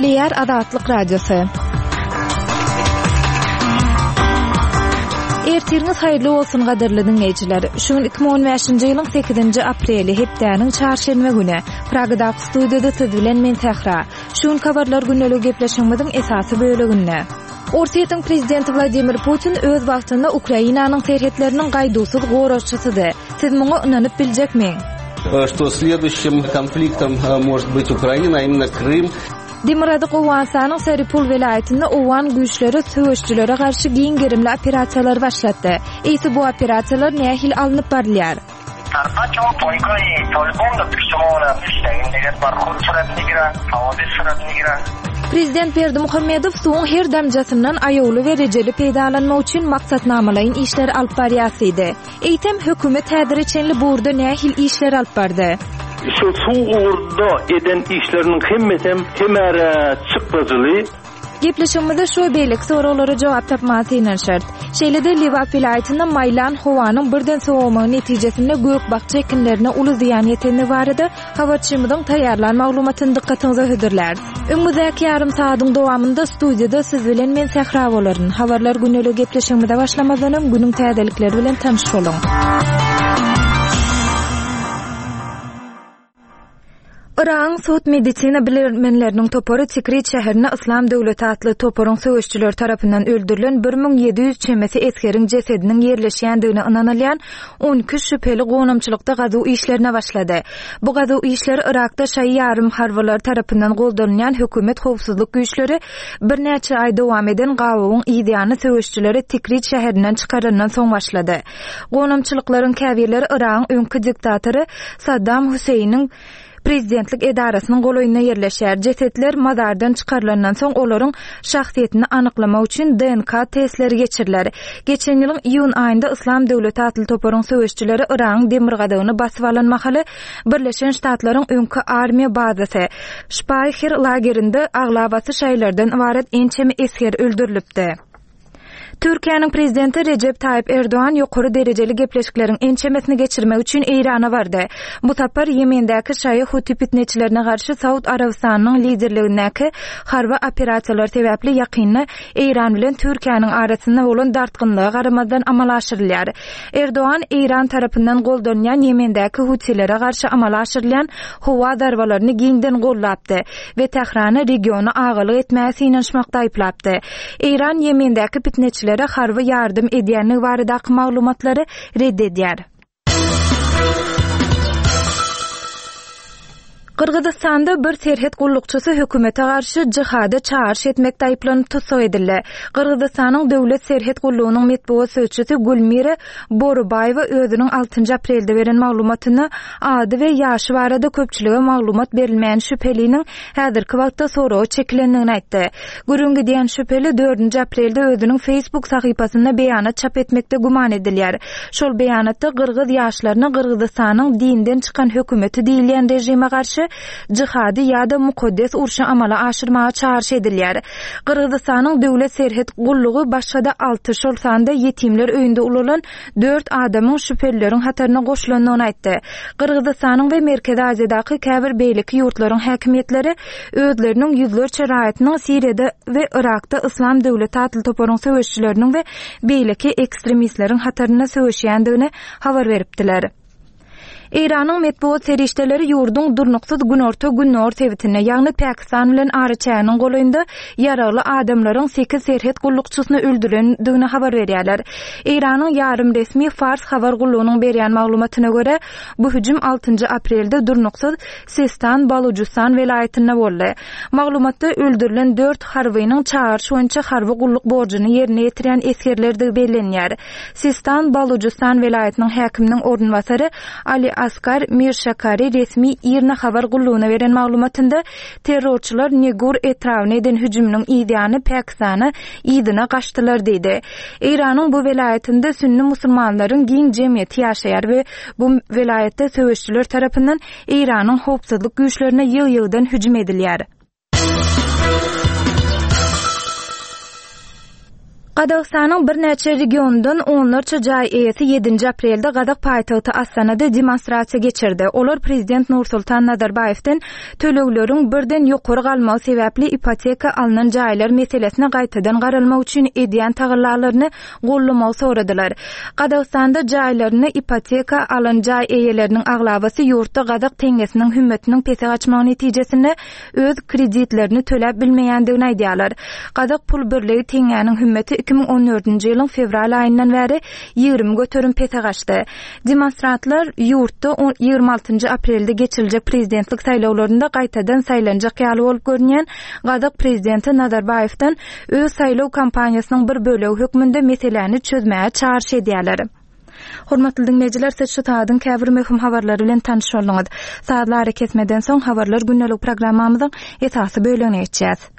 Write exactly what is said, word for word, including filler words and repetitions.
Gepleýär Azatlyk Radiosy. Ertiriňiz haýyrly bolsun gadyrly diňleýjiler. Şu gün iki müň on bäşinji ýylyň sekizinji apreli hepdäniň çarşenbe güni. Pragadaky studiýada siz bilen men Sähra. Şu gün habarlar gündelik gepleşigimiziň esasy böleginde. Orsýetiň prezidenti Wladimir Putin öz wagtynda Ukrainanyň serhetleriniň gaýduwsyz goragçysydy. Siz muňa ynanyp biljekmi? Что следующим konfliktom может быть Ukraina, именно Крым. Demirgazyk Owganystanyň Saripul welaýatynda Owgan güýçleri söweşçilere garşy giň gerimli operasiýalar başlatdy. Eýse bu operasiýalar nähili alnyp barylýar? Prezident Berdimuhamedow suwuň her damjasyndan aýawly we rejeli peýdalanmak üçin maksatnamalaýyn işler alyp barýardy. Eýsem hökümet häzire çenli bu ugurda nähili işler alyp bardy? Şu suw ugurda eden işleriniň hemmesem hemäre çykdajyly. Gepleşigimizde şu beýleki soraglara jogap tapmaga synanyşarys. Şeýle-de Lebap welaýatynda maýlan howanyň birden sowamagy netijesinde gök bakja ekinlerine uly zyýan ýeteni barada habarçymyzyň taýýarlan maglumatyny dykgatyňyza hödürläris. Öňümizdäki ýarym saadyň dowamynda studiýada siz bilen men Sähra bolaryn. Habarlar gündelik gepleşigimize başlamazdan öň günüň täzelikleri bilen tanyş boluň. Yragyň sud medisina bilermenleriniň topary Tikrit şäherine Islam döwleti atly toparyň söweşçileri tarapyndan öldürilen bir müň ýedi ýüz çemesi esgeriň jesediniň ýerleşýändigine ynanylýan on iki şübheli gonamçylykda gazuw işlerine başlady. Bu gazuw işleri Yrakda şaýy ýarym harbylar tarapyndan goldanylýan hökümet howpsuzlyk güýçleri birnäçe aý dowam eden gabawyň ýany söweşçileri Tikrit şäherinden çykarandan soň başlady. Gonamçylyklaryň käbirleri Yragyň öňki diktatory Saddam Hüseýiniň prezidentlik edarasynyň golaýynda ýerleşýär. Jesetler mazardan çykarylandan soň olaryň şahsyýetini anyklamak üçin D N K testleri geçiriler. Geçen ýylyň iýun aýynda Islam döwleti atly toparyň söweşçileri Yragyň demirgazygyny basyp alan mahaly Birleşen Ştatlaryň öňki armiýa bazasy Şpaýher lagerinde aglabasy şaýlardan ybarat ençeme esger öldürilipdi. Türkiýäniň prezidenti Recep Tayyip Erdoğan ýokary derejeli gepleşikleriň ençemesini geçirmek üçin Eýrana bardy. Bu sapar Ýemendäki şaýy Huti pitneçilerine garşy Saud Arabystanynyň liderligindäki harby operasiýalar sebäpli ýakynda Eýran bilen Türkiýäniň arasynda bolan dartgynlyga garamazdan amala aşyrylýar. Erdoğan Eýran tarapyndan goldanýan Ýemendäki Hutilere garşy amala aşyrylýan howa zarbalaryny giňden gollapdy we Tährana regiona agalyk etmäge synanyşmakda aýyplapdy. Eýran Ýemendäki pitneçilere harby ýardam edýänligi baradaky maglumatlary red edýär. Gyrgyzystanda bir serhet gullukçysy hökümete garşy jihada çagyryş etmekde aýyplanyp tussag edildi. Gyrgyzystanyň döwlet serhet gullugynyň metbugat sözçüsi Gülmira Borubaýewa özüniň altynjy aprelde beren maglumatyny ady we ýaşy barada köpçülige maglumat berilmeýän şübheliniň häzirki wagtda soraga çekilendigini aýtdy. Gürrüň gidýän şübheli dördünji aprelde özüniň Facebook sahypasynda beýanat çap etmekde güman edilýär. Şol beýanatda Gyrgyz ýaşlaryna Gyrgyzystanyň dinden çykan hökümeti diýilýän rejime garşy jihady ýa-da mukaddes urşy amala aşyrmaga çagyryş edilýär. Gyrgyzystanyň döwlet serhet gullugy başga-da alty, şol sanda ýetimler öýünde ulalan dört adamyň şübhelileriň hataryna goşulandygyny aýtdy. Gyrgyzystanyň we Merkezi Aziýadaky käbir beýleki ýurtlaryň häkimiýetleri özleriniň ýüzlerçe raýatynyň Siriýada we Yrakda Islam döwleti atly toparyň söweşçileriniň we beýleki ekstremistleriň hatarynda söweşýändigini habar beripdiler. Eýranyň metbugat serişdeleri ýurduň durnuksyz günorta gündogar sebitinde, ýagny Pakistan bilen araçäginiň golaýynda ýaragly adamlaryň sekiz serhet gullukçysyny öldürendigini habar berýärler. Eýranyň ýarym resmi Fars habar gullugynyň berýän maglumatyna görä, bu hüjüm altynjy aprelde durnuksyz Sistan Balujistan welaýatynda boldy. Maglumatda öldürilen dört harbynyň çagyryş boýunça harby gulluk borjuny ýerine ýetirýän esgerlerdigi bellenýär. Sistan Balujistan welaýatynyň häkiminiň orunbasary Ali Askar Mirşakari resmi IRNA habar gullugyna beren maglumatynda terrorçylar Negur etrabyna eden hüjüminiň ýany Pakistana ýygyna gaçdylar diýdi. Eýranyň bu welaýatynda sünni musulmanlaryň giň jemgyýeti ýaşaýar we bu welaýatda söweşçiler tarapyndan Eýranyň howpsuzlyk güýçlerine ýygy-ýygydan hüjüm edilýär. Gazagystanyň birnäçe regionyndan onlarça jaý eýesi ýedinji aprelde gazak paýtagty Astanada demonstrasiýa geçirdi. Olar prezident Nursultan Nazarbaýewden tölegleriň birden ýokary galmagy sebäpli ipoteka alnan jaýlar meselesine gaýtadan garalmagy üçin edýän tagallalaryny gollamagy soradylar. Gazagystanda jaýlaryny ipoteka alan jaý eýeleriniň aglabasy ýurtda gazak teňňesiniň hümmetiniň pese gaçmagy netijesinde öz kreditlerini töläp bilmeýändigini aýdýarlar. Gazak pul birligi teňňäniň hümmeti iki müň on dördünji ýylyň fewral aýyndan bäri ýigrimi göterim pese gaçdy. Demonstrantlar ýurtda ýigrimi altynjy aprelde geçiriljek prezidentlik saýlawlarynda gaýtadan saýlanjak ýaly bolup görünýän gazak prezidenti Nazarbaýewden öz saýlaw kampaniýasynyň bir bölegi hökmünde meseläni çözmäge çagyryş edýärler. Hormatly diňleýjiler, siz şu saadyň käbir möhüm habarlary bilen tanyş bolduňyz. Sazly arakesmeden soň habarlar gündelik programmamyzyň esasy bölegine geçýäs.